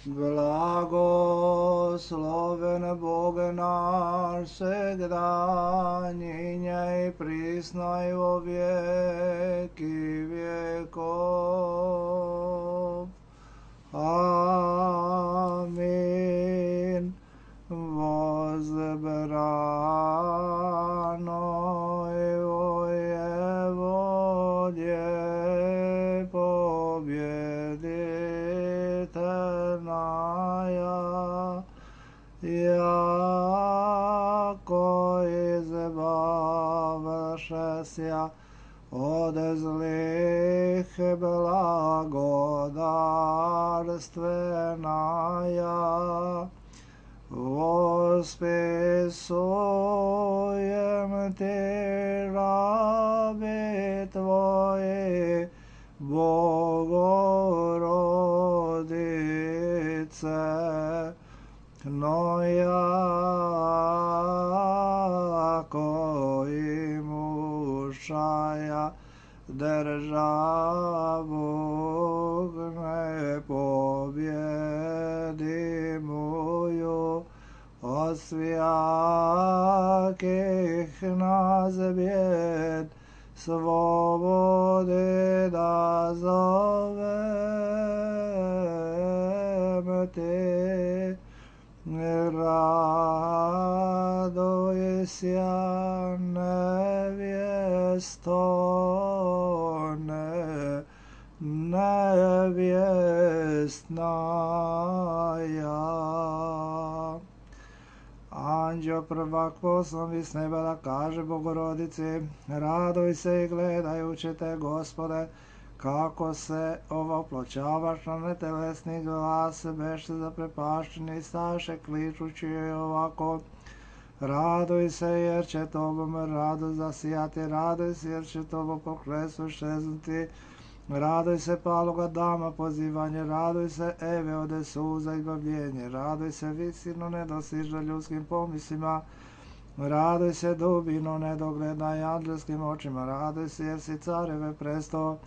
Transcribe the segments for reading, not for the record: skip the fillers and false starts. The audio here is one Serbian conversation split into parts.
Blagosloven Bog naš всегда, ныне и присно и во веки веков. Аминь. Возбрано и воеводе победительная, яко избавшися от злых благодарственная, восписуем Ты раби Твои, Богородице, но яко имущая державу непобедимую, от всяких нас бед свободы дозовем Ты. Радуйся, невесто, невестная. Anđeo prvak poslom iz neba da kaže Bogorodici, raduj se i gledajući te, Gospode, kako se ovoploćavaš na netelesni glas, beše zaprepašćeni, staše kličući joj ovako, raduj se jer će tobom radost zasijati, raduj se jer će tobom poklesu šeznuti, raduj se paloga dama pozivanje, raduj se Eve ode suza izbavljenje, raduj se visino nedostižna ljudskim pomislima, raduj se dubino nedogledna i anđelskim očima, raduj se jer si careve presto,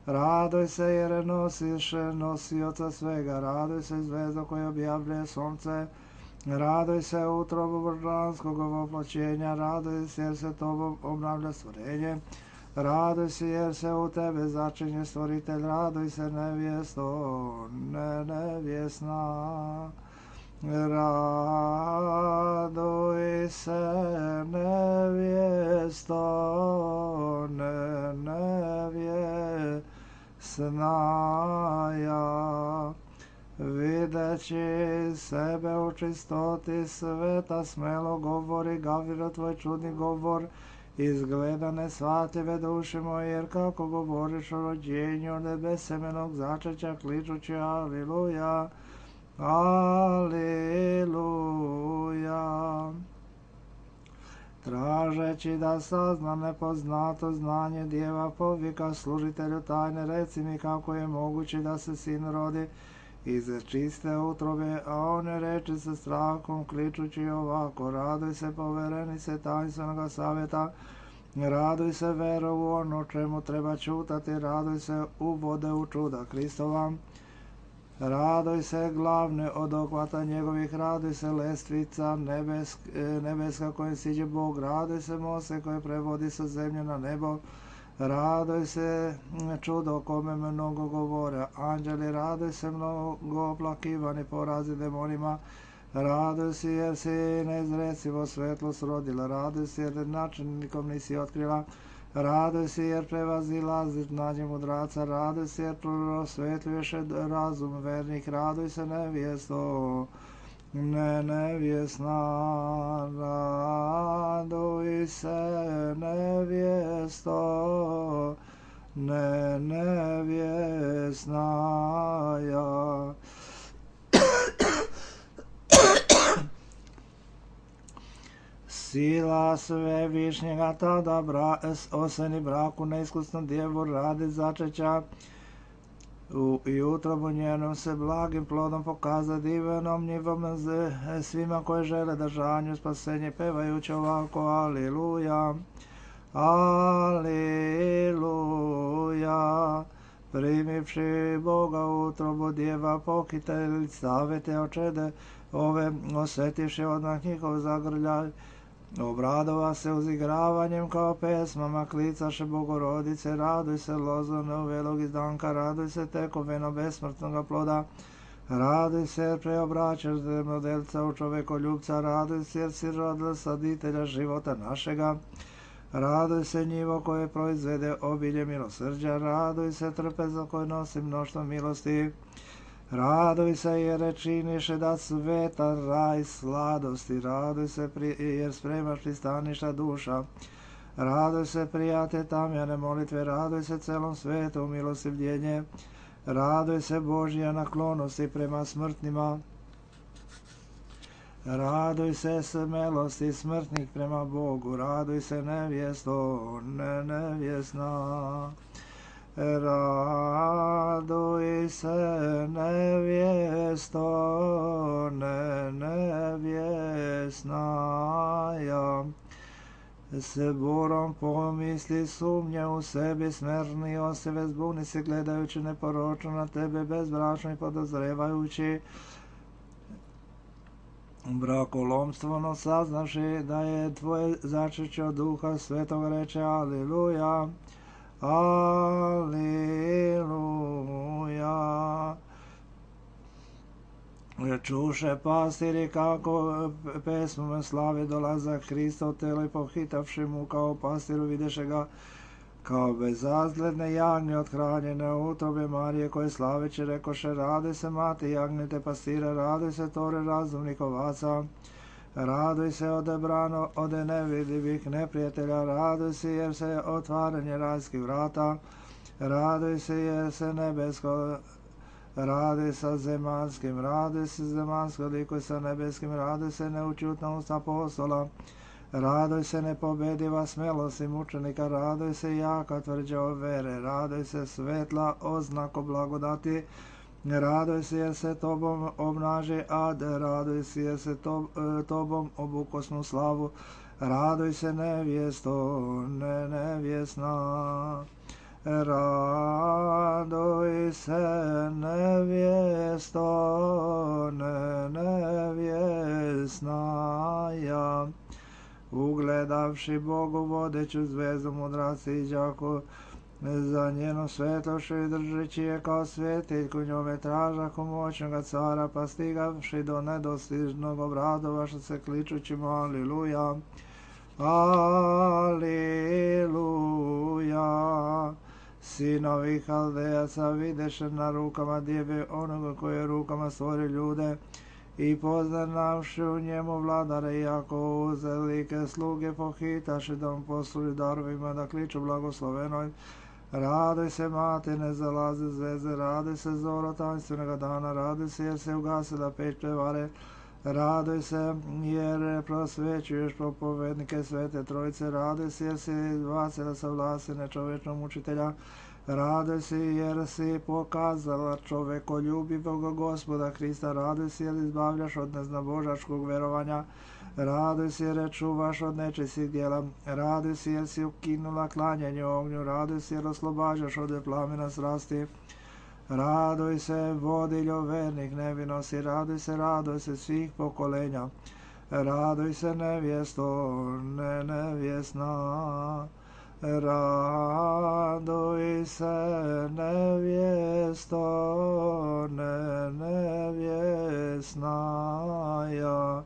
raduj se jer nosiš nosioca svega, raduj se zvezdo koje objavljuje sunce, raduj se utrobu božanskog ovoploćenja, raduj se jer se tobom obnavlja stvorenje, raduj se jer se u tebe začinje stvoritelj, raduj se nevjesto, nevjesna. Raduj se nevjesto, nevjesnaja. Videći sebe u čistoti sveta, smelo govori Gavriel tvoj čudni govor, izgleda nesvatljive duše moje, jer kako govoriš o rođenju od nebesemenog začeća, kličući Aliluja, Aliluja. Tražeći da sazna nepoznato znanje, djeva povika služitelju tajne, reci mi kako je moguće da se sin rodi iz čiste utrobe, a one reči sa strahom kličući ovako, raduj se poverenice tajnstvenog savjeta, raduj se vero u ono čemu treba čutati, raduj se uvode u čuda Kristova, raduj se glavne od okvata njegovih, raduj se lestvica nebeska kojim siđe Bog, raduj se mose koje prevodi sa zemlje na nebo, raduj se čudo o kome mnogo govore anđeli, raduj se mnogo oplakivani porazi demonima, raduj se jer si neizrecivo svetlost rodila, raduj se jer načinikom nisi otkrila, raduj se jer prevazilaziš znanje mudraca, raduj se jer prosvetljuješ razum vernih, raduj se nevjesto, nevjesna, raduj se nevjesto, nevjesnaja. Sila svevišnjega tada oseni braku neiskusnom djevu radi začeća, i utrobu njenom se blagim plodom pokaza divenom njivom svima koje žele držanju spasenje, pevajući ovako Aliluja, Aliluja. primivši Boga u utrobu djeva pokiteljica, te očede ove, osjetivši odmah njihov zagrljaj, obradova se uzigravanjem kao pesmama, klicaše Bogorodice, raduj se lozorno velog izdanka, raduj se tekoveno besmrtnoga ploda, raduj se jer preobraćaš zemljodelca u čovekoljubca, raduj se jer si rodila saditelja života našega, raduj se njivo koje proizvede obilje milosrđa, raduj se trpeza koje nosi mnoštvo milosti, raduj se jer činiše da sveta raj sladosti, raduj se jer spremaš pristaništa duša, raduj se prijate tamjane molitve, raduj se celom svetu milostivljenje, raduj se Božja naklonosti prema smrtnima, raduj se smelosti smrtnih prema Bogu, raduj se nevjesto, nevjesna. Raduj se nevjesto, nevjesnaja. Se burom pomisli sumnje u sebi, smerni osjeve zbuni se gledajući neporočno na tebe, bezbračno i podozrevajući brakolomstveno saznavši da je tvoje začeće od Duha Svetog, reče Aliluja. Aliluja. Čuše pastiri kako pesmom slave dolazak Hristov telo i pohitavši mu kao pastiru videše ga kao bezazgledne jagnje othranjene u utrobe Marije koje slaveće rekoše raduj se mati jagnete pastira, raduj se tore razumnih ovaca, raduj se odebrano od nevidljivih neprijatelja, raduj se jer se otvaranje rajskih vrata, raduj se jer se nebesko raduj sa zemanskim, raduj se zemansko liko sa nebeskim, raduj se neučutna usta apostola, raduj se nepobediva smelosti mučenika, raduj se jaka tvrđa o vere, raduj se svetla oznako blagodati, raduj se jer se tobom obnaži ad, raduj se jer se tobom obukosnu slavu, raduj se nevjesto, nevjesna. Raduj se nevjesto, nevjesnaja. Ugledavši Bogu vodeću zvezdu mudraci i đaku, za njenu svetlošću i držeći je kao svetiljku, njome tražahu moćnoga cara, pa stigavši do nedostižnog obradovaša se kličući mu Aliluja, Aliluja. Sinovi Haldejaca videše na rukama djeve onoga koji je rukama stvori ljude i poznavši u njemu vladare, iako uzelike sluge pohitaše da mu posluži darovima da kliču blagoslovenoj. Raduj se mati, ne zalaze zveze, raduj se zoro tanstvenoga dana, raduj se jer se ugasila peć prevare, raduj se jer prosvećuješ propovednike Svete Trojice, raduj se jer si izbacila sa vlasti nečovečnog učitelja, raduj se jer si pokazala čovekoljubivog Gospoda Hrista, raduj se jer izbavljaš od neznabožačkog verovanja, raduj se jer čuvaš od nečistih djela, raduj se jer si ukinula klanjanje ognju, raduj se jer oslobađaš od plamena strasti, raduj se vodiljo vernih nevinosti, raduj se svih pokolenja, raduj se nevjesto, nevjesna, raduj se nevjesto, nevjesnaja.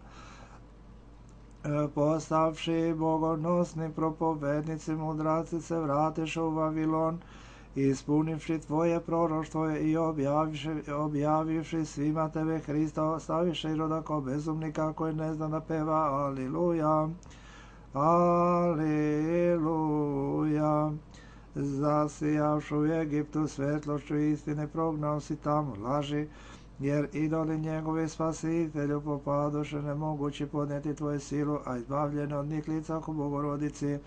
Postavši bogonosni propovednici mudraci se vratiše u Vavilon, ispunivši tvoje proroštvo i objavivši svima tebe Hrista, ostaviše Iroda kao bezumnika koji ne zna da peva Aliluja, Aliluja. Zasijavši u Egiptu svetlošću istine, prognao si tamo laži, jer idoli njegovi spasitelju popadoše, nemogući podnijeti tvoju silu, a izbavljene od njih lica u Bogorodici.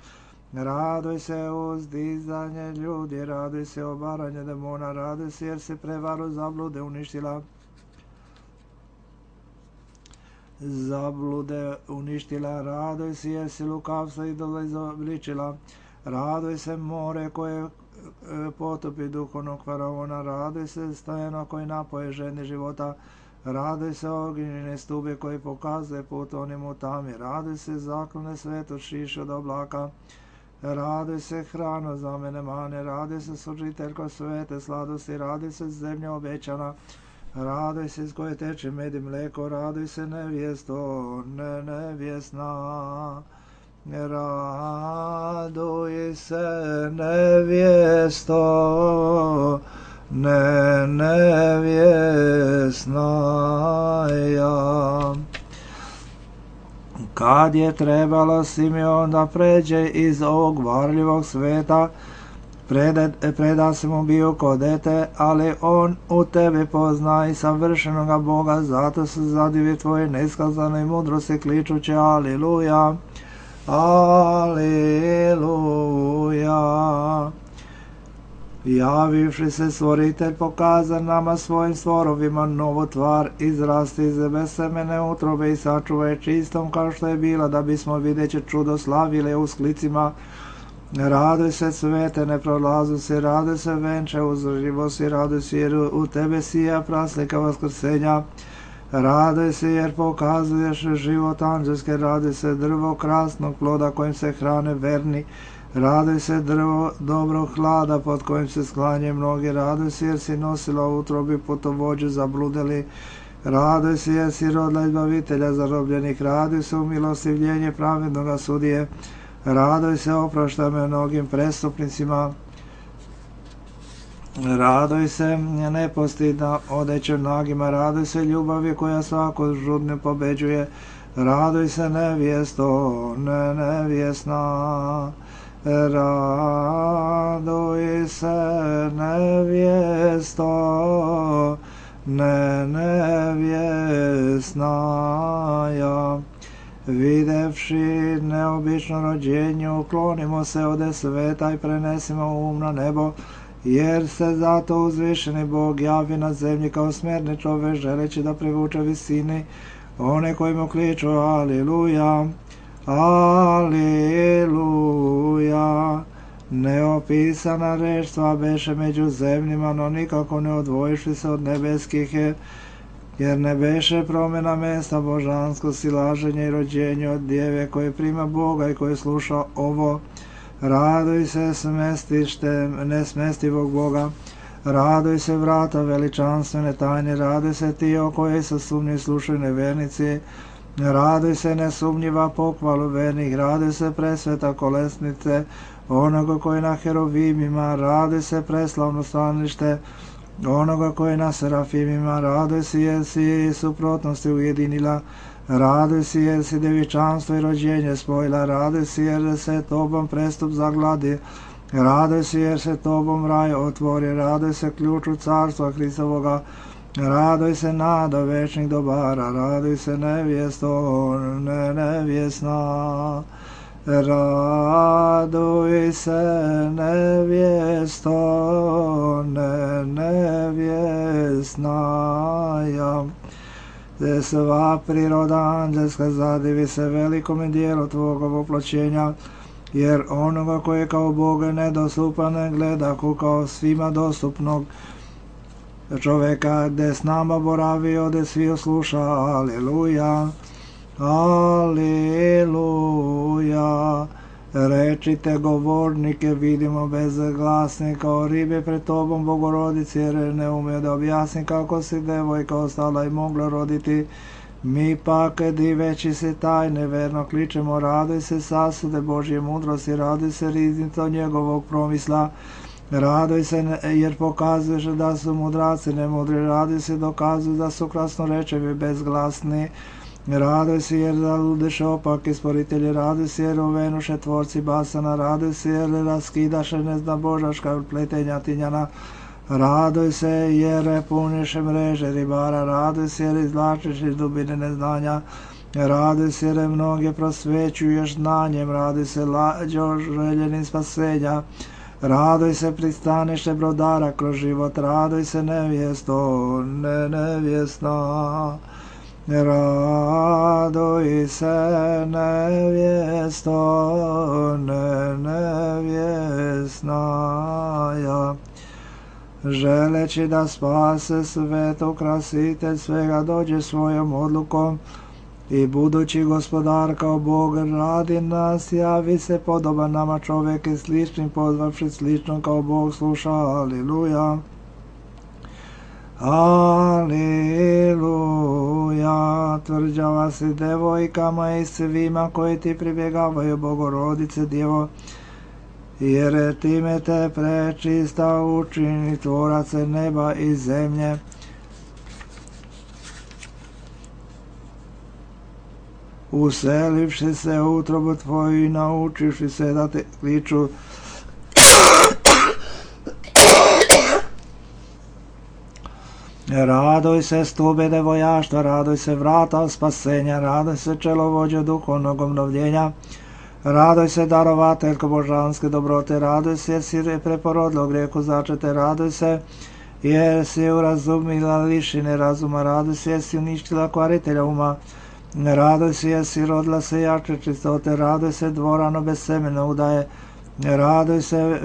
Raduj se uzdizanje ljudi, raduj se obaranje demona, raduj se jer si prevaru zablude uništila. Raduj se jer si lukavstvo idola izobličila, raduj se more koje potopi duhovnog faraona, raduj se stajano koji napoje žedni života, raduj se ognjene stube koji pokazuje put onim u tami, raduj se zaklone svetu šiše od oblaka, raduj se hrano za mene mane, raduj se sužiteljko svete sladosti, raduj se zemlja obećana, raduj se iz koje teče med i mleko, raduj se nevjesto, nevjesna. Raduj se nevjesto, nevjesna ja. Kad je trebalo Simeon da pređe iz ovog varljivog sveta, preda se mu bio ko dete, ali on u tebi pozna i savršenoga Boga, zato se zadivi tvoje neskazane mudrosti kličuće Aliluja. Aleluja. Javivši se stvoritelj pokaza nama svojim stvorovima novu tvar, izrasti iz besemene utrobe i sačuvaj čistom kao što je bila, da bismo videći čudo slavile u sklicima. Raduj se svete, ne prolazu se, raduj se venče uzrživo si, raduj se jer u tebe sija praslika vaskrsenja. Raduj se jer pokazuješ život anđelske, raduj se drvo krasnog ploda kojim se hrane verni, raduj se drvo dobrog hlada pod kojim se sklanje mnogi, raduj se jer si nosila u utrobi putovođu zabludeli, raduj se jer si rodila izbavitelja zarobljenih, raduj se u milostivljenje pravednoga sudije, raduj se oprašta me mnogim prestupnicima, raduj se nepostidna odeće nagima, raduj se ljubavi koja svako žudne pobeđuje, raduj se nevjesto, nevjesna, raduj se nevjesto, nevjesna ja. Videvši neobično rođenje, uklonimo se ode sveta i prenesimo um na nebo, jer se zato uzvišeni Bog javi na zemlji kao smjerni čovek, želeći da privuče visini one koji mu kliču Aliluja, Aliluja. Neopisana reč tva beše među zemljima, no nikako ne odvojiš se od nebeskih, jer ne beše promjena mesta božansko silaženje i rođenje od djeve koje prima Boga i koje sluša ovo. Raduj se smestištem nesmestivog Boga, raduj se vrata veličanstvene tajne, raduj se ti o kojoj sa sumnji slušaju nevernici, raduj se nesumnjiva pohvalu vernih, raduj se presveta kolesnice onoga koji na herovimima, raduj se preslavno stanište onoga koji na serafimima, raduj se jer si suprotnosti ujedinila, raduj se jer si devičanstvo i rođenje spojila, raduj se jer se tobom prestup zagladi, raduj se jer se tobom raj otvori, raduj se ključu carstva Hristovoga, raduj se nada večnih dobara, raduj se nevjesto, nevjesna, raduj se nevjesto, nevjesna ja. Sva priroda anđelska zadivi se velikome dijelu tvoga voploćenja, jer onoga koji kao Boga nedostupan ne gleda kao svima dostupnog čoveka, gde s nama boravi, ode svi osluša. Aleluja, aleluja. Rečite govornike, vidimo bezglasni kao ribe pred tobom Bogorodici, jer ne ume da objasni kako si devojka ostala i mogla roditi. Mi pak, diveći se tajne, verno kličemo, raduj se sasude Božje mudrosti, raduj se riznica njegovog promisla, raduj se jer pokazuješ da su mudraci nemudri, raduj se dokazuju da su krasnorečevi bezglasni, raduj se jer zaludeše opake sporitelji, raduj se jer ovenuše tvorci basana, raduj se jer raskidaše nezna božaška pletenja tinjana, raduj se jer puniše mreže ribara, raduj se jer izvlačiš iz dubine neznanja, raduj se jer mnoge prosvećuješ znanjem, raduj se lađo željenim spasenja, raduj se pristanište brodara kroz život, raduj se nevjesto, nevjesna, raduj se nevjesto, nevjesna želeći da spase sveto, krasitelj svega dođe svojom odlukom i budući gospodar kao Bog radi nas, javi se podoban nama čovjek i sličnim pozvavši slično kao Bog sluša. Aliluja. Aliluja. Tvrđava si devojkama i svima koji ti pribjegavaju, Bogorodice Djevo, jer time te prečista učini tvorace neba i zemlje. Uselivši se u utrobu tvoju i naučivši se da te kliču, radoj se stube devojaštva, radoj se vrata spasenja, radoj se čelovođo duhovnog obnovljenja, radoj se darovateljko božanske dobrote, radoj se jer si preporodilo grijehu začete, radoj se jer si urazumila lišine razuma, radoj se jer si uništila kvaritelja uma, radoj se jer si rodila se jače čistote, radoj se dvorano bez semena udaje, radoj se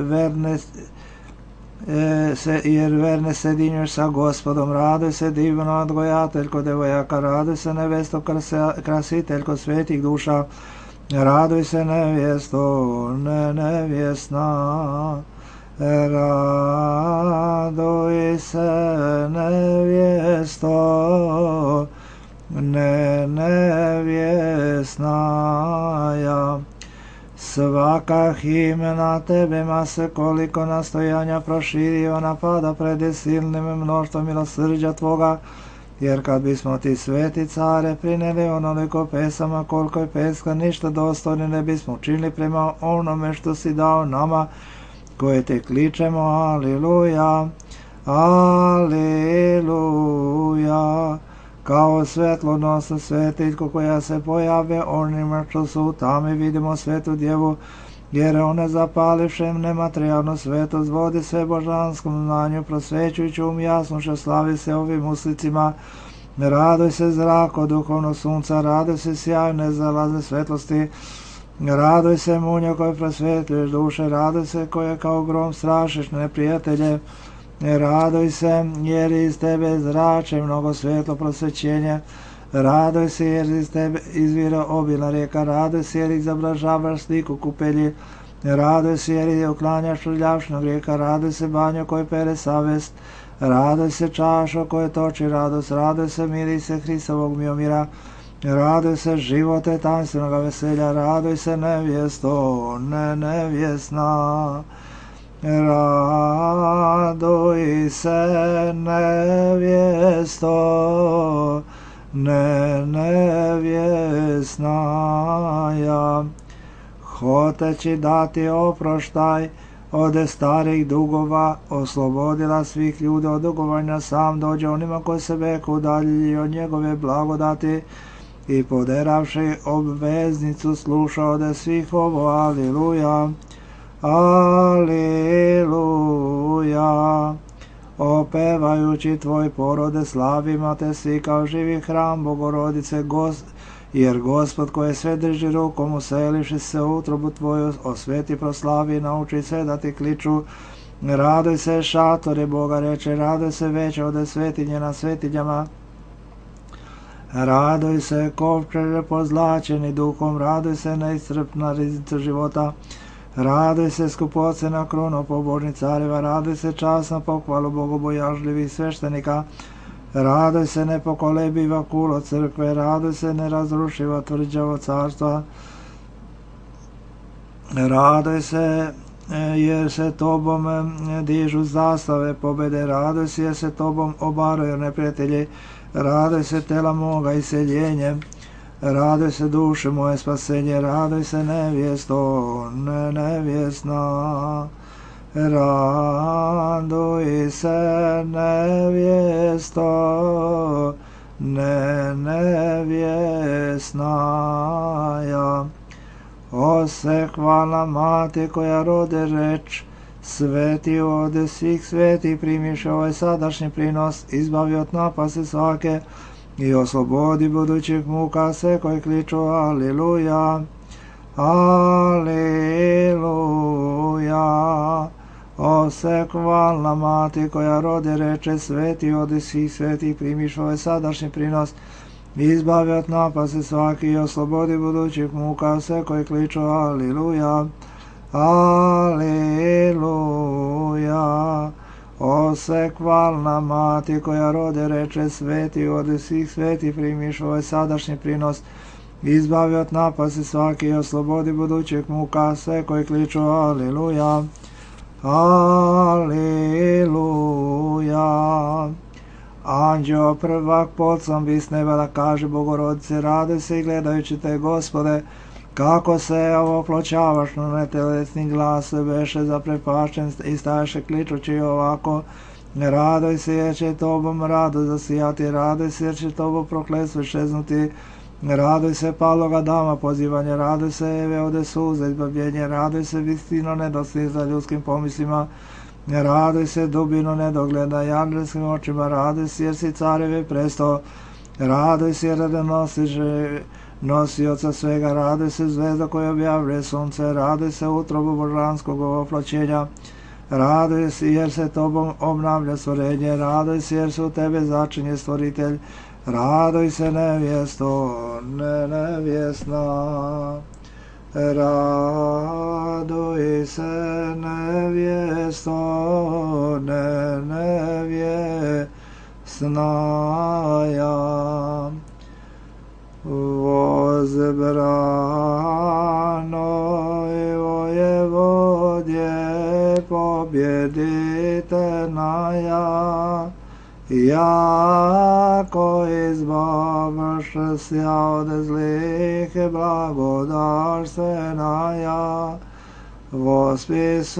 jer verne sedinješ sa Gospodom, radoj se divno odgojateljko devojaka, radoj se nevesto krasiteljko svetih duša, radoj se nevjesto nevjesna, radoj se nevjesto nevjesnaja. Svaka himna tebema se koliko nastojanja proširio napada pred silnim mnoštvom milosrđa tvoga, jer kad bismo ti sveti care prineli onoliko pesama koliko je peska, ništa dostojni ne bismo učinili prema onome što si dao nama koje te kličemo. Aliluja, aliluja. Kao svetlonosna svetiljko koja se pojave onima što su u tami, vidimo svetu djevu, jer ona zapalivšem nematerijalno svetost vodi sve božanskom znanju, prosvećujući jasnošće slavi se ovim uslicima. Radoj se zrako duhovno sunca, radoj se sjajne zalazne svetlosti, radoj se munjo koje prosvetljuješ duše, radoj se koje kao grom strašiš neprijatelje, radoj se jer iz tebe zrače mnogo svetlo prosvećenje, radoj se jer iz tebe izvira obilna rijeka, radoj se jer izobražavaš sliku kupelji, radoj se jer uklanjaš rljavšnog rijeka, radoj se banjo koje pere savest, radoj se čašo koje toči radost, radoj se mirise Hristovog miomira, radoj se živote tanstvenoga veselja, radoj se nevjesto nevjesna, radoj se nevjesto nevjesnaja. Hoteći dati oproštaj od starih dugova, oslobodila svih ljudi od dugovanja, sam dođe onima koji se veku udalji od njegove blagodati i poderavši obveznicu sluša ode svih ovo. Aliluja, aliluja. Opevajući tvoj porode slavima te svi kao živi hram Bogorodice, jer Gospod koje sve drži rukom uselivši se u utrobu tvoju, osveti proslavi i nauči sve da ti kliču. Radoj se šatore Boga reče, radoj se veće ode svetinje na svetinjama, radoj se kovčeže pozlačeni duhom, radoj se neiscrpna riznica života, radoj se skupocena krono pobožnih careva, radoj se časna pohvalu bogobojažljivih sveštenika, radoj se nepokolebiva kulo crkve, radoj se nerazrušiva tvrđavo carstva, radoj se jer se tobom dižu zastave pobede, radoj se jer se tobom obaraju neprijatelji, radoj se tela moga iseljenje, radoj se duše moje spasenje, radoj se nevjesto nevjesna, radoj se nevjesto nevjesnaja. Ose hvala mati koja rode reč, sveti ode svih sveti, primiš ovaj sadašnji prinos, izbavi od napasti svake i oslobodi budućih muka sve koji kliču. Aliluja, aliluja. O sekvalna mati koja rode reče sveti odi svih svetih primiš ovaj sadašnji prinos, izbavi od napasti svaki i oslobodi budućih muka sve koji kliču aliluja, aliluja. O sekvalna mati koja rode reče sveti odi svih sveti primiš ovaj sadašnji prinos, izbavi od napasti svaki i oslobodi budućih muka sve koji kliču aliluja, aliluja. Anđeo prvak polcom vis neba da kaže Bogorodice, raduj se i gledajući te Gospode, kako se ovoploćavaš na netelesni glas beše zaprepašten i staješe kličući ovako, raduj se jer će tobom rado zasijati, raduj se jer će tobo prokletstvo iščeznuti, raduj se paloga dama pozivanje, raduj se Eve ode suza izbavljenje, raduj se vistino nedoslih za ljudskim pomislima, raduj se dubino nedogleda i anđelskim očima, raduj se jer si careve presto, raduj se jer da nosiš nosioca svega, raduj se zvezda koja objavljuje sunce, raduj se utrobu božanskog ovoploćenja, raduj se jer se tobom obnavlja stvorenje, raduj se jer se u tebe začinje stvoritelj, raduj se nevjesto, nevjesna, raduj se nevjesto, nevjesna ja. Возбранoj vojevodje pobjeditelja, jako izbavš sja od zlih blagodarstvena ja, vospisujem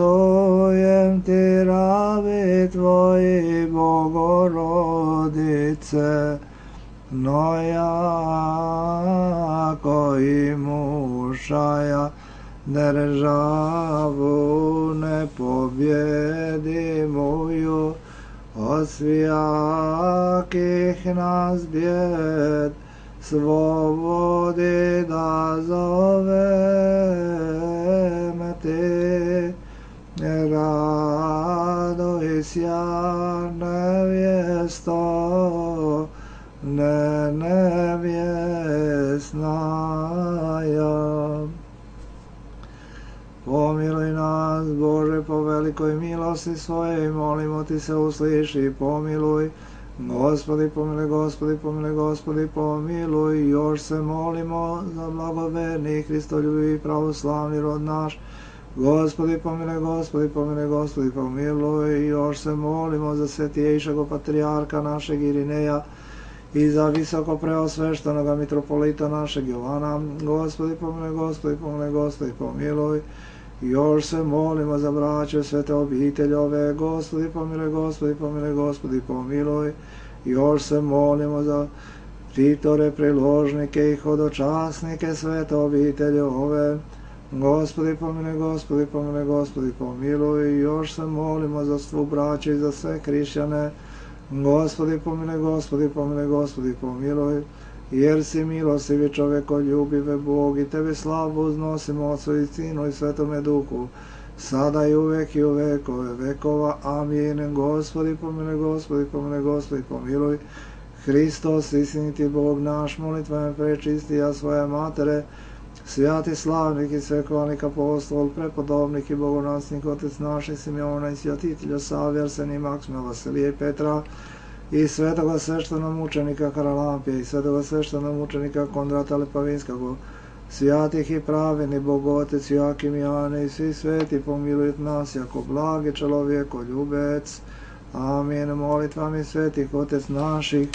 ti rabi tvoji Bogorodice, no jako i mušaja državu ne pobjedi moju, od svijakih nas bjed svobodi da zovem ti, raduj sja nevjesto, nevjesna ja. Pomiluj nas, Bože, po velikoj milosti svojej, molimo ti se usliši, pomiluj. Gospodi, pomiluj, Gospodi, pomiluj, Gospodi, pomiluj. Još se molimo za blagoverni Hristoljubivi pravoslavni rod naš. Gospodi, pomiluj, Gospodi, pomiluj, Gospodi, pomiluj. Još se molimo za svetijejšeg patrijarha našeg Irineja i za visoko preosveštenoga mitropolita našeg Jovana. Gospodi, pomiluj, Gospodi, pomiluj, Gospodi, pomiluj. Još se molimo za braće svete obiteljove. Gospodi, pomiluj, Gospodi, pomiluj, Gospodi, pomiluj. Još se molimo za pritore, priložnike i hodočasnike svete obiteljove. Gospodi, pomiluj, Gospodi, pomiluj, Gospodi, pomiluj. Još se molimo za svu braće i za sve hrišćane. Gospodi, pomiluj, Gospodi, pomiluj, Gospodi, pomiluj. Jer si milostivi čovekoljubive Bog i tebe slavu uznosimo Otcu i Sinu i Svetome Duhu, sada i uvek i u vekove vekova. Amin. Gospodi, pomiluj, Gospodi, pomiluj, Gospodi, pomiluj. Hristos, istiniti Bog naš, molitvama prečistija svoje matere, svjati slavnik i svekvalnik apostol, prepodobnik i bogonasnik, Otec naših Simeona i svjatitelja Savija, Arsenija, Maksima, Vasilija i Petra, i svetoga sveštenomučenika Haralampija i svetoga sveštenomučenika Kondrata Lepavinskog, svjatih i praveni Bogotec Joakim Jane i svi sveti pomiluj nas jako blagi čelovjeko ljubec. Amin. Molitvami svetih Otec naših,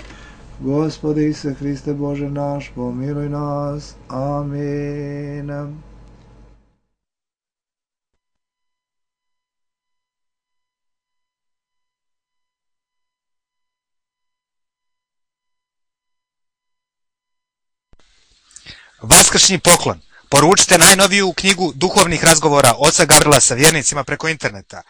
Gospodi Isuse Hriste Bože naš, pomiluj nas. Amin. Vaskršnji poklon. Poručite najnoviju knjigu duhovnih razgovora oca Gavrila sa vjernicima preko interneta.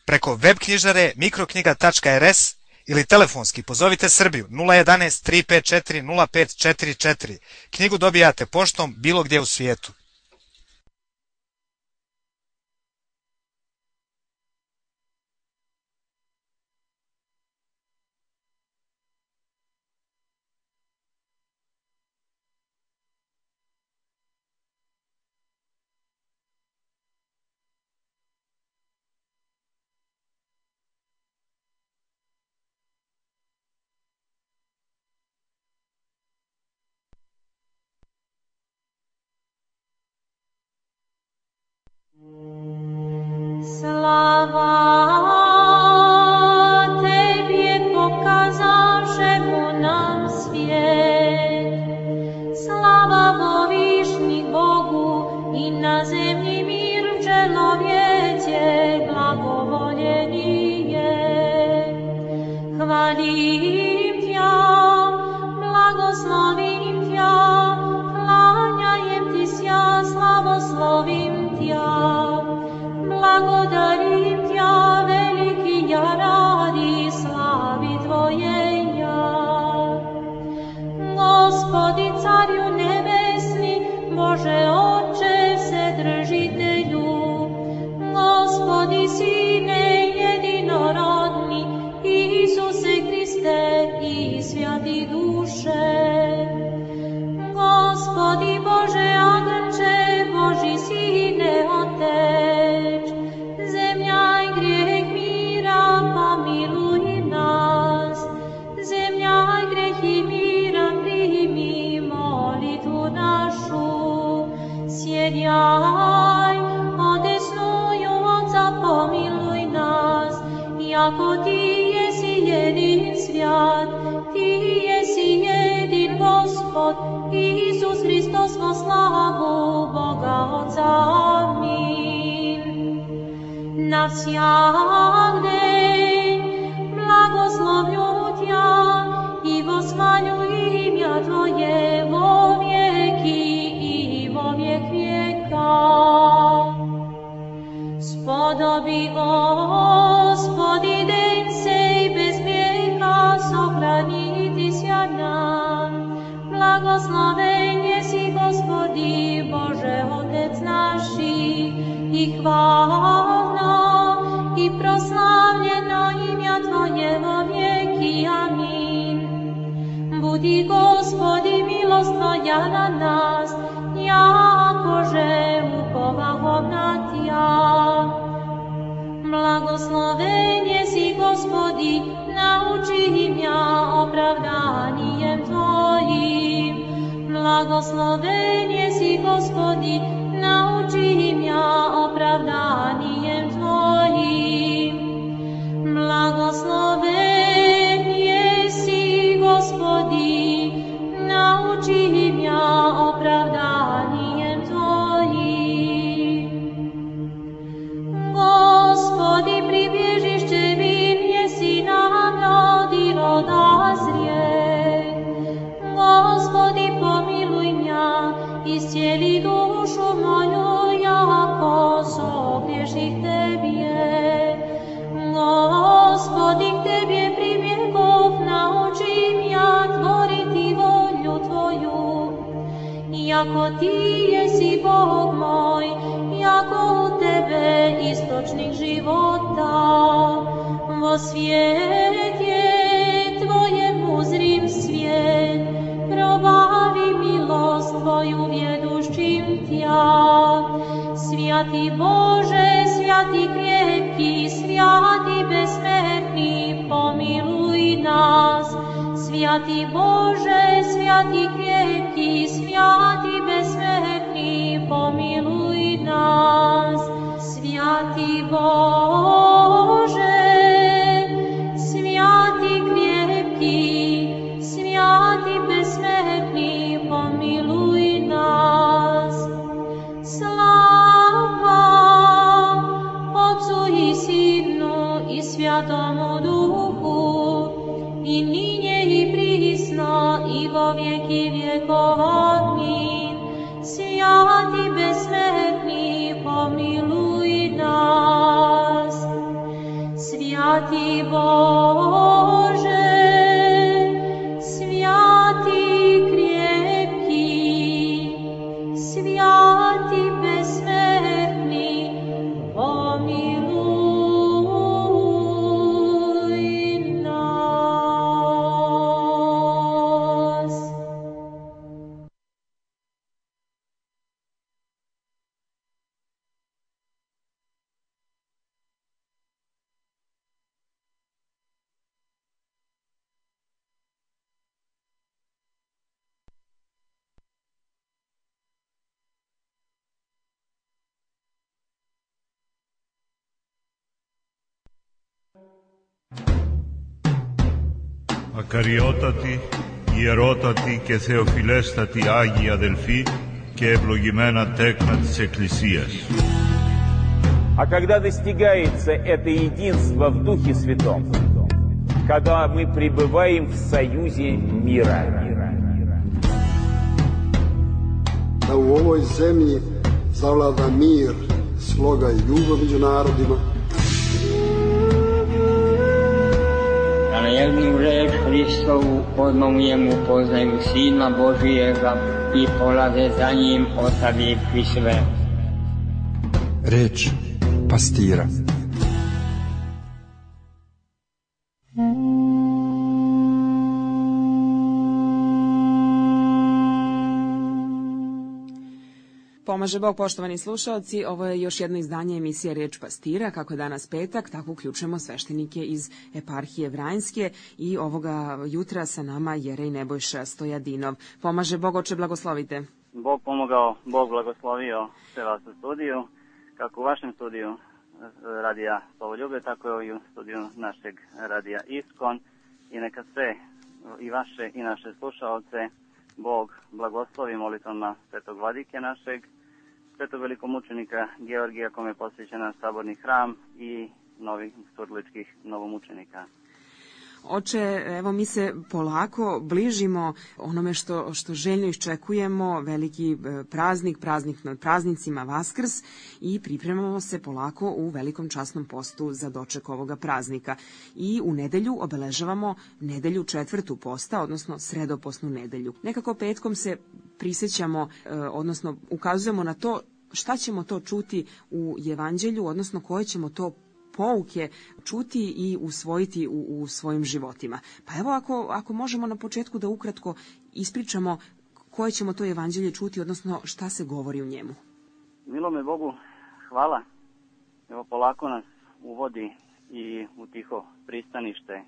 Preko web knjižare mikroknjiga.rs ili telefonski pozovite Srbiju 011 354 0544. Knjigu dobijate poštom bilo gdje u svijetu. Hvalim Tja, blagoslovim Tja, klanjajem Ti sja, slavoslovim Tja. Благодарим Тя, велики я ради слави Твоей я. Господи, Царю небесни, Боже Отче Вседržitelju, Господи, Sine jedinorodni, Isuse Hriste i Svjati duše. Gospodi Bože Agnče, Boži Sine Otec, zemlja i grijeh mira, pomiluj nas. Zemlja i grijeh i mira, primi molitvu našu. Sjedjaj, odesnuju Otca, pomiluj nas. Jako Ti jesi jedin svjat, Ti jesi jedin Gospod, Isus Hristos, во славу Бога Отца. Амин. На всяк день благословлю Тя и восхвалю имя Твое во веки и во век века. Сподоби, Господи, день сей без греха, сохранити ся нам. Благословен еси, Господи, Боже, Отец наши, и хвално, и прославljeno имя Твое во веки. Амин. Буди, Господи, милост Твоя на нас, якоже уповахом на Тя. Благословен еси, Господи, научи мя оправданием Твоим. Благословен еси, Господи, научи мя оправданием Твоим. Благословен еси, Господи, научи мя оправданием Твоим. Господи, прибежище мир еси нам роди рода зрет. Господи, помилуй мя, исцели душу мою, яко согреших Тебе. Господи, к Тебе прибегов, научи мя творити волю Твою. Яко Ти еси Бог мой, яко у Тебе источник живота. Во свете Твоем узрим свет, пробави милост Твою ведущим Тя. Святый Боже, святый крепкий, святый бессмертный, помилуй нас. Святый Боже, святый крепкий, святый бессмертный, помилуй нас. Святый Боже, святый крепкий, святый бессмертный, помилуй нас. Слава Отцу и Сыну и Святому Духу, и ныне и присно, и во веки веков. Аминь. Святый бессмертный, помилуй нас. Святый Боже, святый крепкий, святый бессмертный, помилуй нас. Ακαριότατη, ιερότατη και θεοφιλέστατη Άγιοι αδελφοί και ευλογημένα τέκνα της Εκκλησίας. А когда достигается это единство в Духе Святом, когда мы пребываем в союзе мира. Da u ovoj zemlji zavlada mir, sloga i ljubav među narodima. Da na jednu reč Hristovu odmah u njemu poznaju Sina Božijega i polaze za njim ostavivši sve. Reč pastira. Pomaže Bog, poštovani slušaoci, ovo je još jedno izdanje emisije Reč pastira. Kako je danas petak, tako uključujemo sveštenike iz eparhije Vranjske i ovoga jutra sa nama Jerej Nebojša Stojadinov. Pomaže Bog, oče, blagoslovite. Bog pomogao, Bog blagoslovio sve vas u studiju, kako u vašem studiju radija Slovoljube, tako i u studiju našeg radija Iskon, i neka sve i vaše i naše slušaoce Bog blagoslovi molitvama svetog vladike našeg, svetog velikomučenika Georgija, kome je posvećen naš saborni hram, i novih surličkih novomučenika. Oče, evo mi se polako bližimo onome što željno iščekujemo, veliki praznik nad praznicima, Vaskrs, i pripremamo se polako u velikom časnom postu za doček ovoga praznika. I u nedelju obeležavamo nedelju 4. posta, odnosno sredopostnu nedelju. Nekako petkom se prisjećamo, odnosno ukazujemo na to šta ćemo to čuti u evanđelju, odnosno koje ćemo to pouke čuti i usvojiti u svojim životima. Pa evo, ako možemo na početku da ukratko ispričamo koje ćemo to evanđelje čuti, odnosno šta se govori u njemu. Milome Bogu, hvala. Evo, polako nas uvodi i u tiho pristanište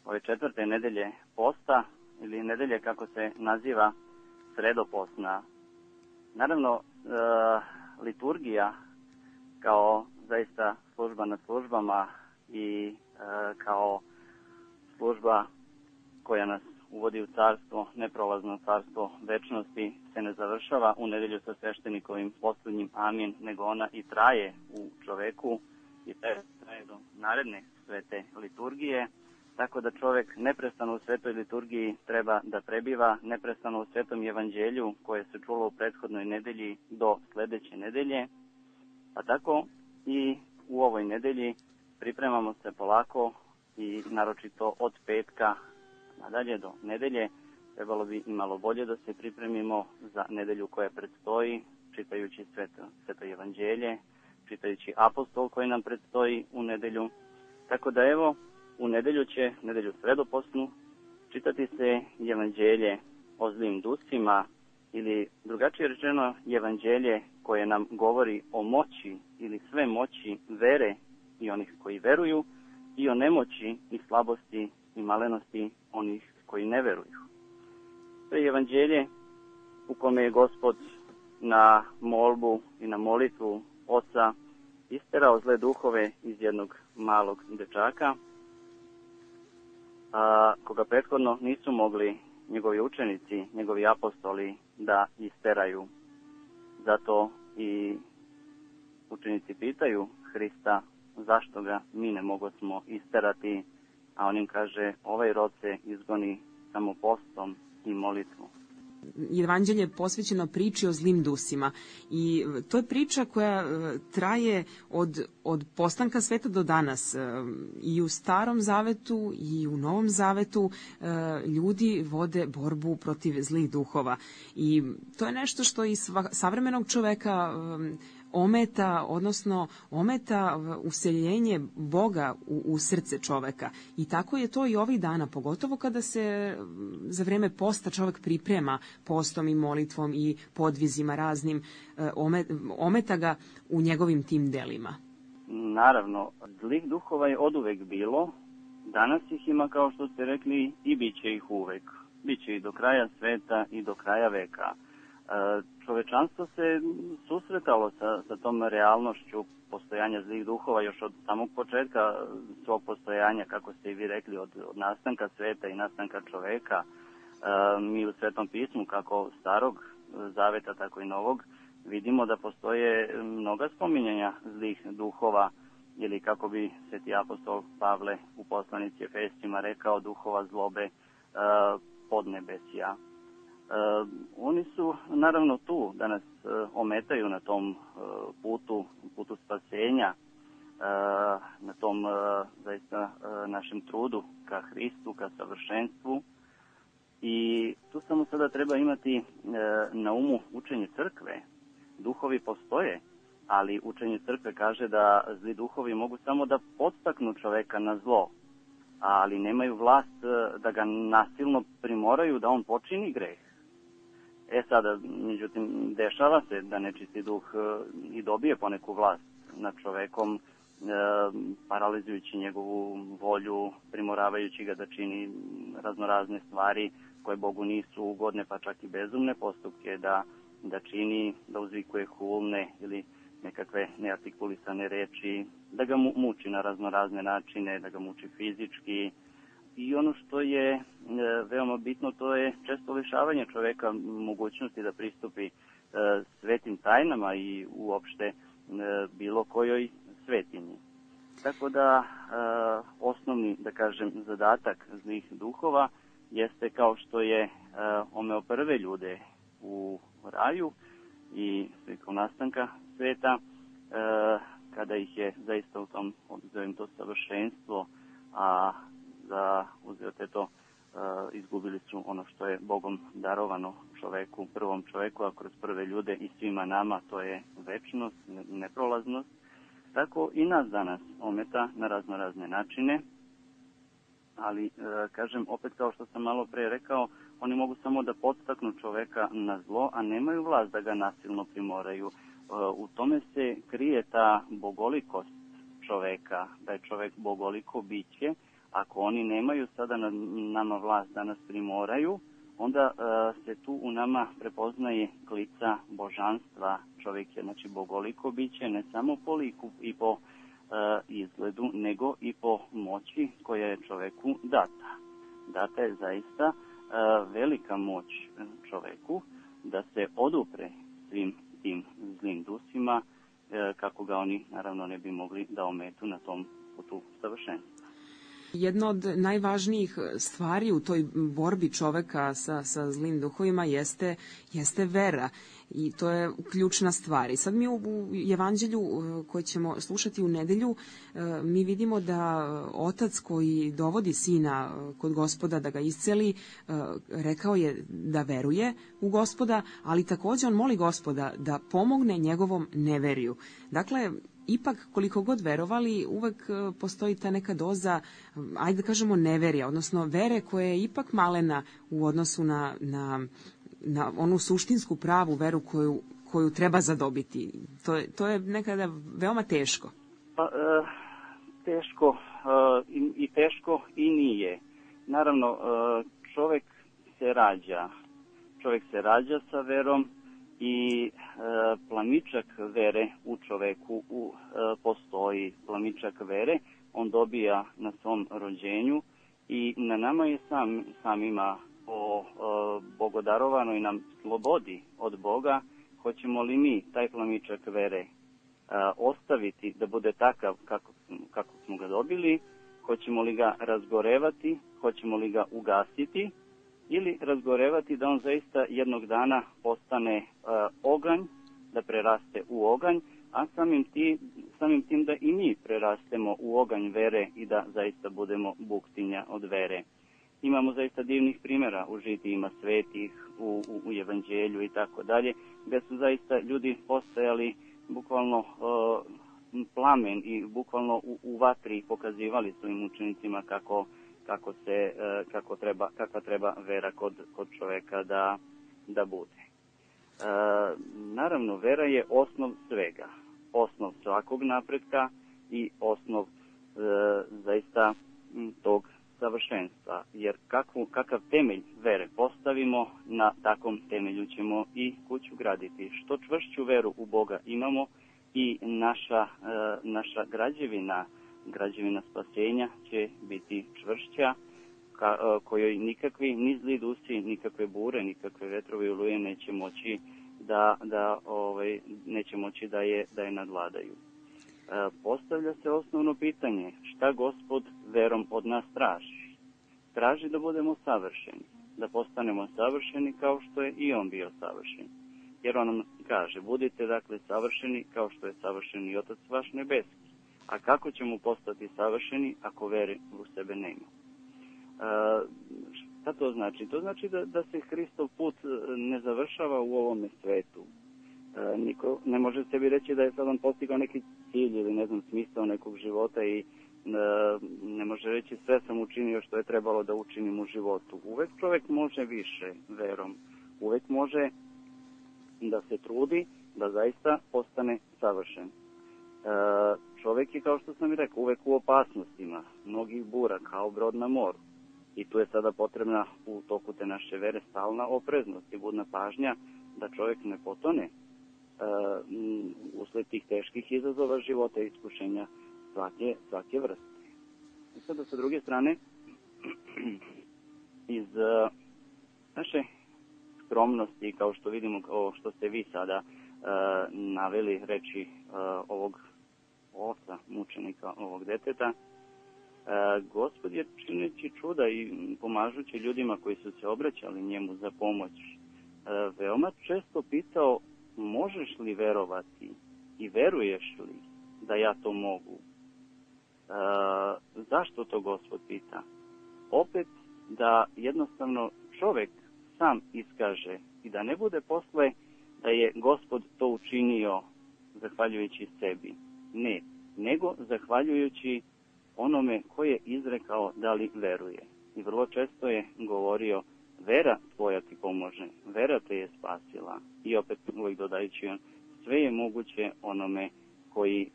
ove 4. nedelje posta, ili nedelje kako se naziva sredopostna. Naravno, liturgija kao zaista služba nad službama i kao služba koja nas uvodi u carstvo, neprolazno carstvo večnosti, se ne završava u nedelju sa sveštenikovim posljednjim amin, nego ona i traje u čoveku i traje do naredne svete liturgije, tako da čovek neprestano u svetoj liturgiji treba da prebiva, neprestano u svetom evanđelju koje se čulo u prethodnoj nedelji do sledeće nedelje, a tako i u ovoj nedelji pripremamo se polako i naročito od petka nadalje do nedelje trebalo bi i malo bolje da se pripremimo za nedelju koja predstoji, čitajući sveto evanđelje, čitajući apostol koji nam predstoji u nedelju. Tako da evo, u nedelju sredopostnu, čitati se evanđelje o zlim dusima, ili drugačije rečeno evanđelje koje nam govori o moći ili sve moći vere i onih koji veruju, i o nemoći i slabosti i malenosti onih koji ne veruju. To je evanđelje u kome je Gospod na molbu i na molitvu Oca isterao zle duhove iz jednog malog dečaka, koga prethodno nisu mogli njegovi učenici, njegovi apostoli da isteraju. Zato i učenici pitaju Hrista zašto ga mi ne mogosmo isterati, a on im kaže, ovaj rod se izgoni samo postom i molitvom. Evanđelje je posvećeno priči o zlim dusima i to je priča koja traje od postanka sveta do danas. I u Starom zavetu i u Novom zavetu ljudi vode borbu protiv zlih duhova i to je nešto što i savremenog čoveka ometa useljenje Boga u srce čoveka. I tako je to i ovih dana, pogotovo kada se za vreme posta čovek priprema postom i molitvom i podvizima raznim, ometa ga u njegovim tim delima. Naravno, zlih duhova je oduvek bilo, danas ih ima, kao što ste rekli, i bit će ih uvek. Biće i do kraja sveta i do kraja veka. Čovečanstvo se susretalo sa tom realnošću postojanja zlih duhova još od samog početka svog postojanja, kako ste i vi rekli, od nastanka sveta i nastanka čoveka. Mi u Svetom pismu, kako Starog zaveta, tako i Novog, vidimo da postoje mnoga spominjanja zlih duhova ili kako bi sveti apostol Pavle u poslanici Efescima rekao, duhova zlobe podnebesja. Oni su naravno tu da nas ometaju na tom putu spasenja, na tom zaista našem trudu ka Hristu, ka savršenstvu. I tu samo sada treba imati na umu učenje crkve. Duhovi postoje, ali učenje crkve kaže da zli duhovi mogu samo da podstaknu čoveka na zlo, ali nemaju vlast da ga nasilno primoraju da on počini greh. Sada, međutim, dešava se da nečisti duh i dobije poneku vlast nad čovekom, paralizujući njegovu volju, primoravajući ga da čini raznorazne stvari koje Bogu nisu ugodne, pa čak i bezumne postupke, da čini, da uzvikuje hulne ili nekakve neartikulisane reči, da ga muči na raznorazne načine, da ga muči fizički. I ono što je veoma bitno, to je često lišavanje čoveka mogućnosti da pristupi svetim tajnama i uopšte bilo kojoj svetinji. Tako da osnovni, da kažem, zadatak zlih duhova jeste kao što je omeo prve ljude u raju i slikom nastanka sveta, kada ih je zaista u tom, obzirom to savršenstvo, a za uzete to izgubili su ono što je Bogom darovano čoveku, prvom čoveku, a kroz prve ljude i svima nama, to je večnost, neprolaznost. Tako i nas danas ometa na razne načine, ali kažem, opet kao što sam malo pre rekao, oni mogu samo da podstaknu čoveka na zlo, a nemaju vlast da ga nasilno primoraju. U tome se krije ta bogolikost čoveka, da je čovek bogoliko biće. Ako oni nemaju sada na nama vlast da nas primoraju, onda se tu u nama prepoznaje klica božanstva. Čovjek je znači bogoliko biće, ne samo po liku i po izgledu, nego i po moći koja je čoveku data. Data je zaista velika moć čoveku da se odupre svim tim zlim dusima, kako ga oni naravno ne bi mogli da ometu na tom putu savršenstva. Jedna od najvažnijih stvari u toj borbi čoveka sa zlim duhovima jeste vera i to je ključna stvar. I sad mi u evanđelju koje ćemo slušati u nedelju, mi vidimo da otac koji dovodi sina kod Gospoda da ga isceli, rekao je da veruje u Gospoda, ali takođe on moli Gospoda da pomogne njegovom neveriju. Dakle, ipak koliko god verovali, uvek postoji ta neka doza, ajde da kažemo, neverija, odnosno vere koja je ipak malena u odnosu na onu suštinsku pravu veru koju treba zadobiti. To je nekada veoma teško. Teško i teško i nije. Naravno, čovek se rađa sa verom, i plamičak vere u čoveku postoji. Plamičak vere on dobija na svom rođenju i na nama je samima po bogodarovanoj nam slobodi od Boga, hoćemo li mi taj plamičak vere ostaviti da bude takav kako smo ga dobili, hoćemo li ga razgorevati, hoćemo li ga ugasiti, ili razgorevati da on zaista jednog dana postane oganj, da preraste u oganj, a samim tim da i mi prerastemo u oganj vere i da zaista budemo buktinja od vere. Imamo zaista divnih primjera u žitijima svetih, u evanđelju i tako dalje, gde su zaista ljudi postajali bukvalno plamen i bukvalno u vatri pokazivali svojim učenicima kakva treba vera kod čoveka da bude. Naravno, vera je osnov svega, osnov svakog napretka i osnov zaista tog savršenstva, jer kakav temelj vere postavimo, na takvom temelju ćemo i kuću graditi. Što čvršću veru u Boga imamo, i naša građevina spasenja će biti čvršća, kojoj nikakvi ni zli dusi, nikakve bure, nikakve vetrovi oluje neće moći da je nadvladaju. postavlja se osnovno pitanje, šta Gospod verom od nas traži? Traži da budemo savršeni, da postanemo savršeni kao što je i on bio savršen. Jer on nam kaže, budite dakle savršeni kao što je savršen i Otac vaš nebeski. A kako ćemo postati savršeni ako vere u sebe nema? Šta to znači? To znači da se Hristov put ne završava u ovome svetu. Niko ne može sebi reći da je sad on postigao neki cilj ili ne znam smisao nekog života i ne može reći sve sam učinio što je trebalo da učinim u životu. Uvek čovjek može više verom. Uvek može da se trudi da zaista postane savršen. Čovjek je, kao što sam i rekao, uvek u opasnostima, mnogih bura, kao brod na moru. I tu je sada potrebna u toku te naše vere stalna opreznost i budna pažnja da čovjek ne potone usled tih teških izazova života i iskušenja svake vrste. I sada sa druge strane, iz naše skromnosti, kao što vidimo, kao što ste vi sada naveli reči ovog oca, mučenika, ovog deteta, Gospod je čineći čuda i pomažući ljudima koji su se obraćali njemu za pomoć, veoma često pitao, možeš li verovati i veruješ li da ja to mogu? Zašto to Gospod pita? Opet da jednostavno čovjek sam iskaže i da ne bude posle da je Gospod to učinio zahvaljujući sebi. Ne, nego zahvaljujući onome ko je izrekao da li veruje. I vrlo često je govorio, vera tvoja ti pomože, vera te je spasila. I opet uvijek dodajući on, sve je moguće onome koji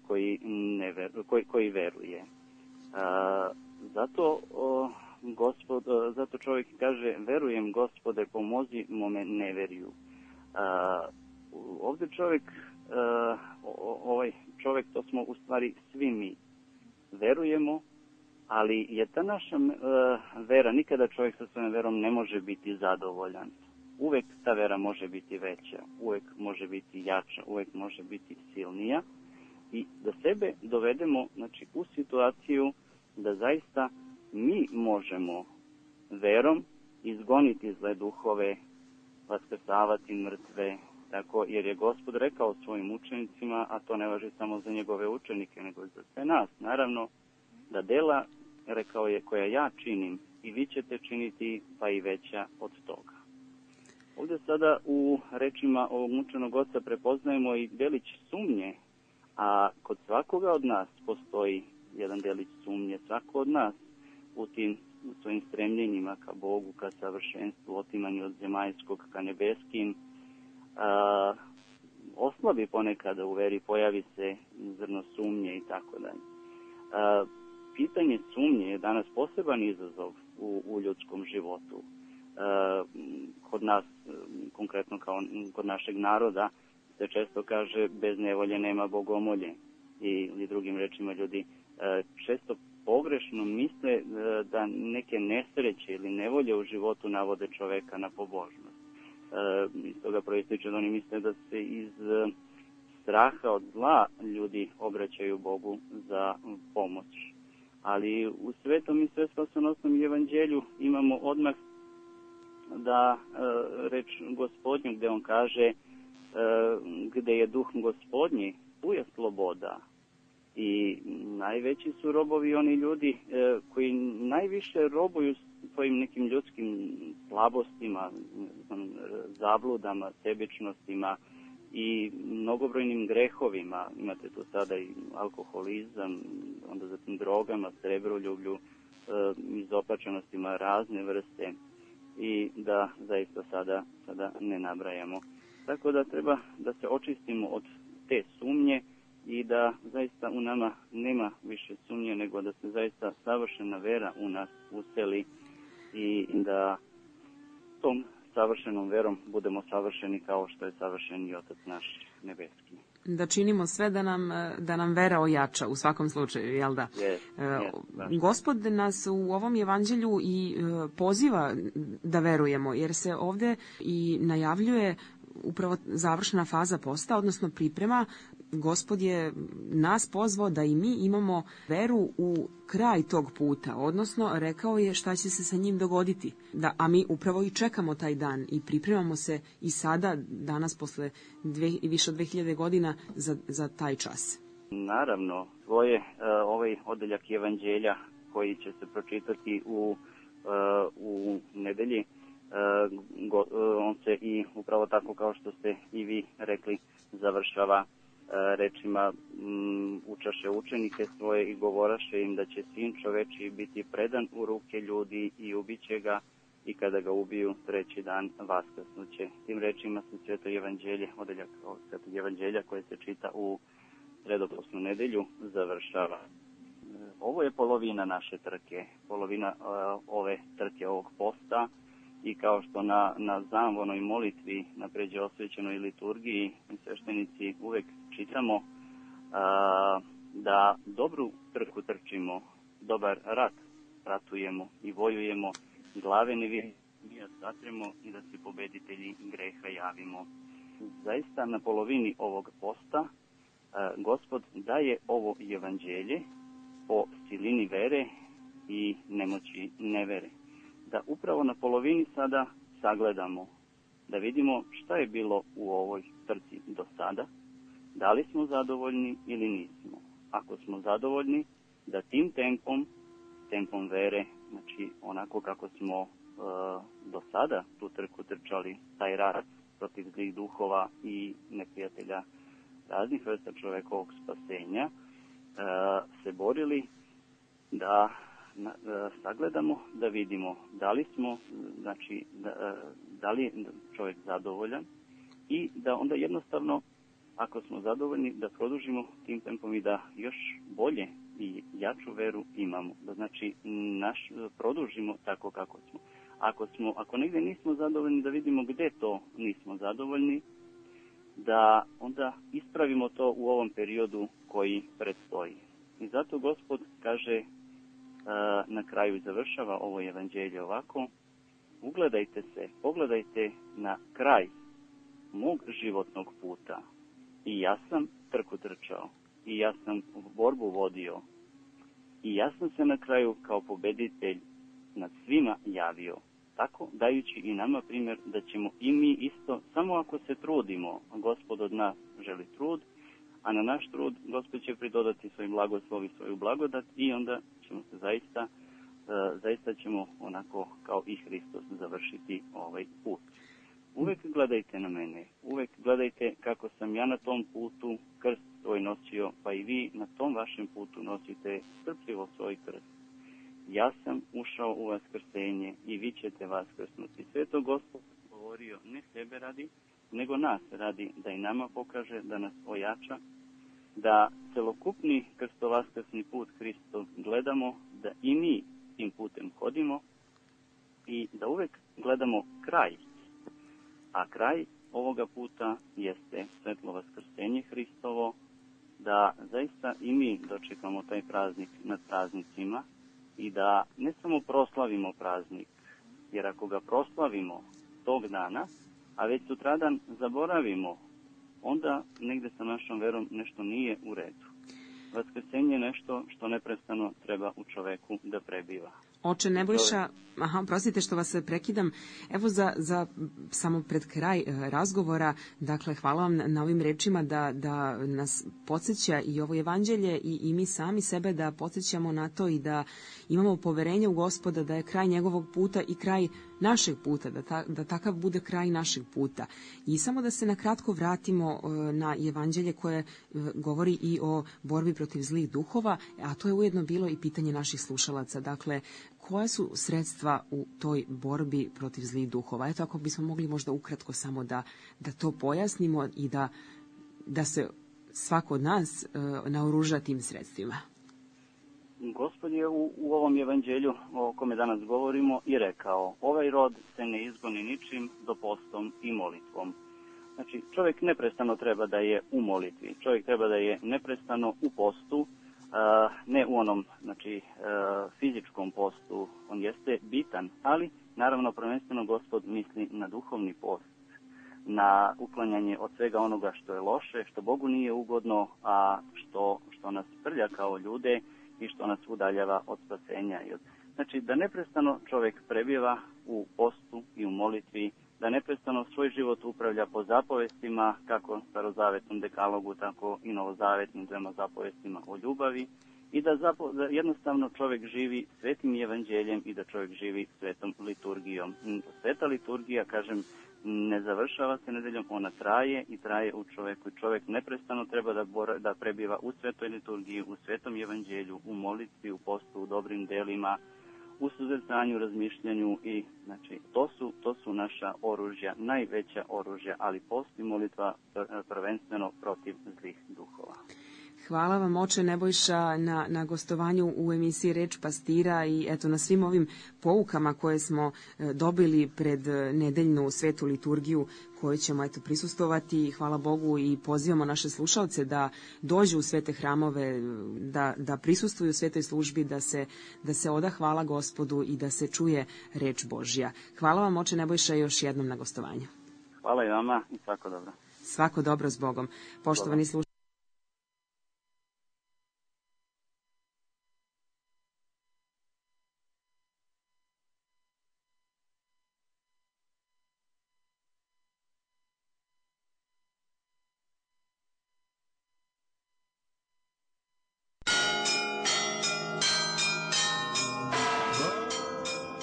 veruje. Zato čovjek kaže, verujem Gospode, pomozi mome neverju. Ovdje ovaj čovjek, to smo u stvari svi mi. Verujemo, ali je ta naša vera, nikada čovjek sa svojom verom ne može biti zadovoljan. Uvek ta vera može biti veća, uvek može biti jača, uvek može biti silnija i da sebe dovedemo u situaciju da zaista mi možemo verom izgoniti zle duhove, vaskrsavati mrtve, tako, jer je Gospod rekao svojim učenicima, a to ne važi samo za njegove učenike, nego i za sve nas, naravno, da dela, rekao je, koja ja činim, i vi ćete činiti, pa i veća od toga. Ovdje sada u rečima ovog mučenog oca prepoznajemo i delić sumnje, a kod svakoga od nas postoji jedan delić sumnje. Svako od nas u tim svojim stremljenjima ka Bogu, ka savršenstvu, otimanju od zemaljskog ka nebeskim, oslabi ponekada u veri, pojavi se zrno sumnje i tako dalje. Pitanje sumnje je danas poseban izazov u ljudskom životu. Kod nas, konkretno kao kod našeg naroda, se često kaže bez nevolje nema bogomolje. Ili drugim rečima ljudi često pogrešno misle da neke nesreće ili nevolje u životu navode čoveka na pobožnost. Iz toga proističe da oni misle da se iz straha od zla ljudi obraćaju Bogu za pomoć. Ali u Svetom i Svespasonosnom evanđelju imamo odmah da reč Gospodnju gde on kaže gde je duh Gospodnji, tu je sloboda. I najveći su robovi oni ljudi koji najviše robuju svojim nekim ljudskim slabostima, zabludama, sebičnostima i mnogobrojnim grehovima. Imate tu sada i alkoholizam, onda zatim drogama, srebroljublju, izopačenostima razne vrste i da zaista sada ne nabrajamo. Tako da treba da se očistimo od te sumnje i da zaista u nama nema više sumnje, nego da se zaista savršena vera u nas useli i da tom savršenom verom budemo savršeni kao što je savršen i Otac naš nebeski. Da činimo sve da nam vera ojača u svakom slučaju, jel da? Yes, Gospod nas u ovom evanđelju i poziva da verujemo, jer se ovde i najavljuje upravo završena faza posta, odnosno priprema Gospod je nas pozvao da i mi imamo veru u kraj tog puta, odnosno rekao je šta će se sa njim dogoditi. A mi upravo i čekamo taj dan i pripremamo se i sada, danas posle više od 2000 godina za taj čas. Naravno, ovaj odeljak evanđelja koji će se pročitati u nedelji, on se i upravo tako kao što ste i vi rekli završava rečima učaše učenike svoje i govoraše im da će sin čovečiji biti predan u ruke ljudi i ubiće ga i kada ga ubiju treći dan vaskrsnuće. Tim rečima se Sveto evanđelje, odeljak Svetog evanđelja koje se čita u sredoposnu nedelju završava. Ovo je polovina naše trke, polovina ove trke ovog posta i kao što na zamvonoj molitvi, na pređe osvećenoj liturgiji sveštenici uvek čitamo da dobru trku trčimo, dobar rat ratujemo i vojujemo, glave ne satremo i da se pobeditelji greha javimo. Zaista na polovini ovog posta Gospod daje ovo evanđelje o silini vere i nemoći nevere. Da upravo na polovini sada sagledamo, da vidimo šta je bilo u ovoj trci do sada, da li smo zadovoljni ili nismo. Ako smo zadovoljni, da tim tempom vere, znači onako kako smo do sada tu trku trčali, taj rat protiv zlih duhova i neprijatelja raznih vrsta čovekovog spasenja, se borili da sagledamo, da vidimo da li smo, znači da li je čovjek zadovoljan i da onda jednostavno, ako smo zadovoljni, da produžimo tim tempom i da još bolje i jaču veru imamo. Da znači produžimo tako kako smo. Ako negdje nismo zadovoljni, da vidimo gdje to nismo zadovoljni, da onda ispravimo to u ovom periodu koji predstoji. I zato Gospod kaže na kraju i završava ovo evanđelje ovako: ugledajte se, pogledajte na kraj mog životnog puta. I ja sam trku trčao, i ja sam borbu vodio, i ja sam se na kraju kao pobeditelj nad svima javio. Tako dajući i nama primjer da ćemo i mi isto, samo ako se trudimo, Gospod od nas želi trud, a na naš trud Gospod će pridodati svoj blagoslov i svoju blagodat i onda ćemo se zaista ćemo onako kao i Hristos završiti ovaj put. Uvek gledajte na mene, uvek gledajte kako sam ja na tom putu krst svoj nosio, pa i vi na tom vašem putu nosite strpljivo svoj krst. Ja sam ušao u vaskrsenje i vi ćete vaskrsnuti. Sve to Gospod govorio ne sebe radi, nego nas radi, da i nama pokaže, da nas ojača, da celokupni krstovaskrsni put Hristov gledamo, da i mi tim putem hodimo i da uvek gledamo kraj. A kraj ovoga puta jeste svetlo vaskrsenje Hristovo, da zaista i mi dočekamo taj praznik nad praznicima i da ne samo proslavimo praznik, jer ako ga proslavimo tog dana, a već sutradan zaboravimo, onda negde sa našom verom nešto nije u redu. Vaskrsenje je nešto što neprestano treba u čoveku da prebiva. Oče Nebojša, prostite što vas prekidam, evo za samo pred kraj razgovora, dakle hvala vam na ovim rečima da nas podsjeća i ovo evanđelje i mi sami sebe da podsjećamo na to i da imamo poverenje u Gospoda da je kraj njegovog puta i kraj našeg puta, da takav bude kraj našeg puta. I samo da se na kratko vratimo na evanđelje koje govori i o borbi protiv zlih duhova, a to je ujedno bilo i pitanje naših slušalaca. Dakle, koja su sredstva u toj borbi protiv zlih duhova? Eto, ako bismo mogli možda ukratko samo da to pojasnimo i da se svako od nas naoruža tim sredstvima. Gospod je u ovom evanđelju o kome danas govorimo i rekao: ovaj rod se ne izgoni ničim do postom i molitvom. Znači, čovjek neprestano treba da je u molitvi, čovjek treba da je neprestano u postu, ne u onom fizičkom postu, on jeste bitan, ali naravno prvenstveno Gospod misli na duhovni post. na uklanjanje od svega onoga što je loše, što Bogu nije ugodno, a što nas prlja kao ljude i što nas udaljava od spasenja. Znači, da neprestano čovjek prebijeva u postu i u molitvi, da neprestano svoj život upravlja po zapovestima, kako starozavetnom dekalogu, tako i novozavetnim 2 zapovestima o ljubavi, i da jednostavno čovjek živi svetim evanđeljem i da čovjek živi svetom liturgijom. Sveta liturgija, kažem, ne završava se nedeljom, ona traje i traje u čovjeku. Čovjek neprestano treba da prebiva u svetoj liturgiji, u svetom evanđelju, u molitvi, u postu, u dobrim delima, u suzrcanju, razmišljanju i znači to su naša oružja, najveća oružja, ali post i molitva prvenstveno protiv zlih duhova. Hvala vam, oče Nebojša, na gostovanju u emisiji Reč pastira i eto na svim ovim poukama koje smo dobili pred nedeljnu svetu liturgiju koju ćemo eto prisustovati. Hvala Bogu i pozivamo naše slušalce da dođu u svete hramove, da prisustvuju svetoj službi, da se oda hvala Gospodu i da se čuje reč Božja. Hvala vam, oče Nebojša, još jednom na gostovanju. Hvala i vama i svako dobro. Svako dobro s Bogom. Poštovani slušalci,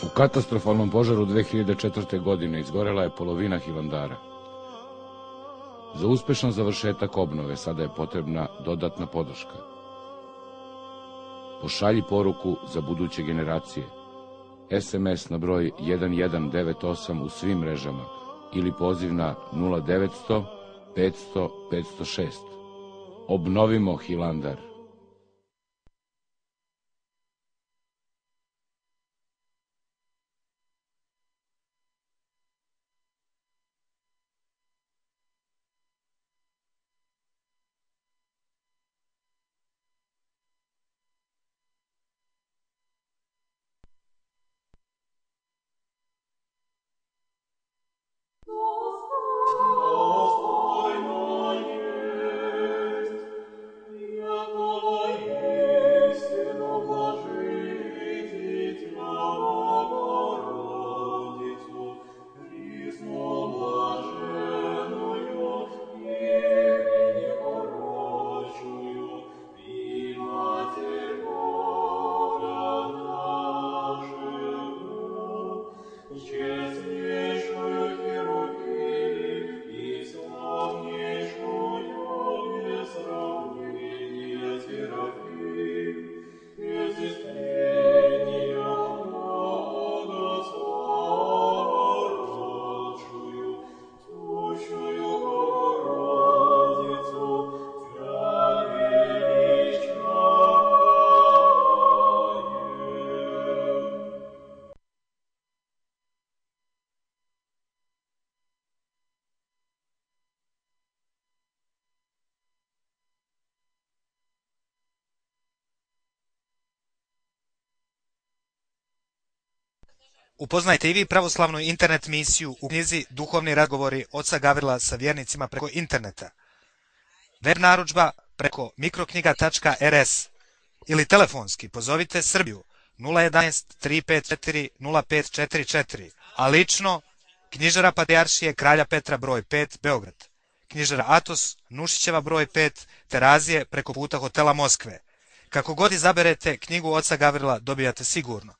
U katastrofalnom požaru 2004. godine izgorela je polovina Hilandara. Za uspešan završetak obnove sada je potrebna dodatna podrška. Pošalji poruku za buduće generacije. SMS na broj 1198 u svim mrežama ili poziv na 0900 500 506. Obnovimo Hilandar. Upoznajte i vi pravoslavnu internet misiju u knjizi Duhovni razgovori oca Gavrila sa vjernicima preko interneta. Web narudžba preko mikroknjiga.rs ili telefonski pozovite Srbiju 011 354 0544, a lično knjižara Patrijaršije Kralja Petra broj 5 Beograd, knjižara Atos Nušićeva broj 5 Terazije preko puta hotela Moskve. Kako god izaberete knjigu oca Gavrila dobijate sigurno.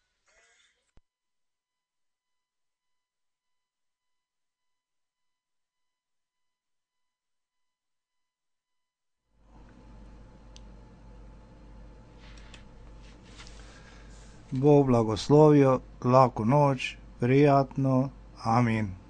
Bog blagoslovio, laku noć, prijatno, amin.